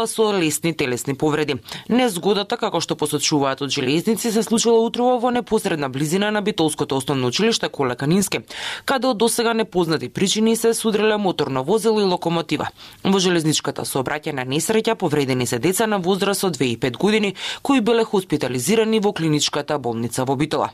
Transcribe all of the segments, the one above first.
со лесни телесни повреди. Незгодата, како што посочуваат од железници, се случила утрово во непосредна близина на Битолското основно училиште Коле Канински, каде од досега непознати причини се судреле моторно возило и локомотива. Во железничката сообраќајна несреќа повредени се деца на возраст од 2 и 5 години кои биле хоспитализирани во клиничката болница во Битола.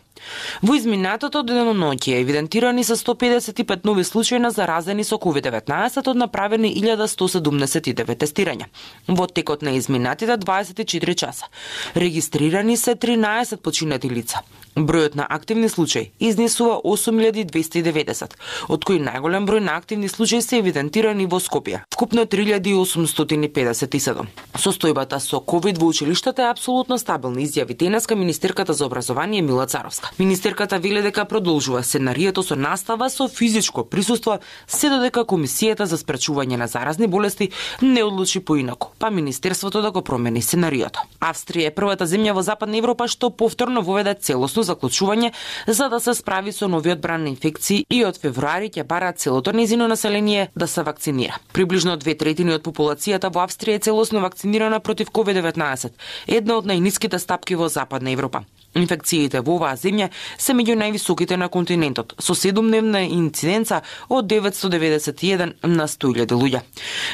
Во изминатото деноноќе евидентирани се 155 нови случаи на заразени со COVID-19 од направени 1179 тестирања. Во текот на изминатите 24 часа регистрирани се 13 починати лица. Бројот на активни случаи изнесува 8290, од кои најголем број на активни случаи се евидентирани во Скопје, вкупно 3857. Состојбата со ковид во училиштата е апсолутно стабилна, изјави денеска министерката за образование Мила Царовска. Министерката вели дека продолжува сценарието со настава со физичко присуство се додека Комисијата за спречување на заразни болести не одлучи поинаку, па министерството да го промени сценариото. Австрија е првата земја во Западна Европа што повторно воведе целосно заклучување за да се справи со новиот бран на инфекции и од февруари ќе бара целото нејзино население да се вакцинира. Приближно 2/3 од популацијата во Австрија е целосно вакцинирана против COVID-19, една од најниските стапки во Западна Европа. Инфекциите во оваа земја се меѓу највисоките на континентот, со 7-дневна инциденца од 991 на 100.000 луѓе.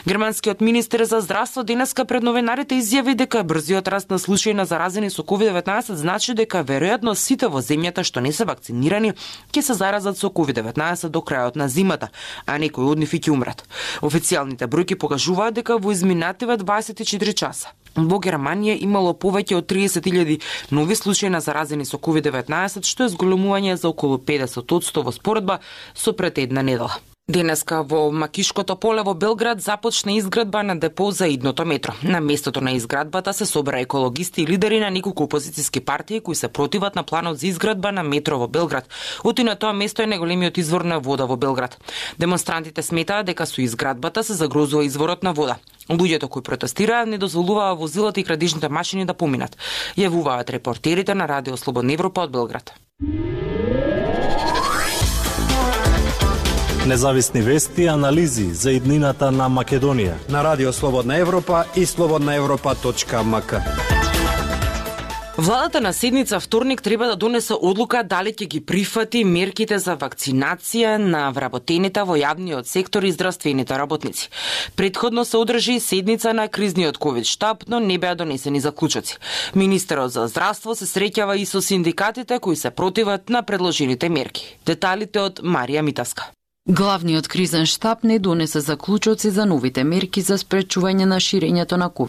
Германскиот министер за здравство денеска пред новинарите изјави дека брзиот раст на случаи на заразени со COVID-19 значи дека веројатно сите во земјата што не се вакцинирани ќе се заразат со COVID-19 до крајот на зимата, а некои од нив ќе умрат. Официјалните бројки покажуваат дека во изминативе 24 часа во Германија имало повеќе од 30.000 нови случаи на заразени со COVID-19, што е зголемување за околу 50% во споредба со пред една недела. Денеска во Макишкото поле во Белград започна изградба на депо за идното метро. На местото на изградбата се собра екологисти и лидери на неколку опозициски партии кои се противат на планот за изградба на метро во Белград. Оти на тоа место е најголемиот извор на вода во Белград. Демонстрантите сметаат дека со изградбата се загрозува изворот на вода. Луѓето кои протестираат не дозволуваа возилата и крадежните машини да поминат, јавуваат репортерите на Радио Слободна Европа од Белград. Независни вести и анализи за иднината на Македонија на Радио Слободна Европа и slobodnaevropa.mk. Владата на седница вторник треба да донесе одлука дали ќе ги прифати мерките за вакцинација на вработените во јавниот сектор и здравствените работници. Претходно се одржи седница на кризниот ковид штаб, но не беа донесени заклучоци. Министерот за здравство се среќава и со синдикатите кои се противат на предложените мерки. Деталите од Марија Митаска. Главниот кризен штаб не донесе заклучоци за новите мерки за спречување на ширењето на COVID-19.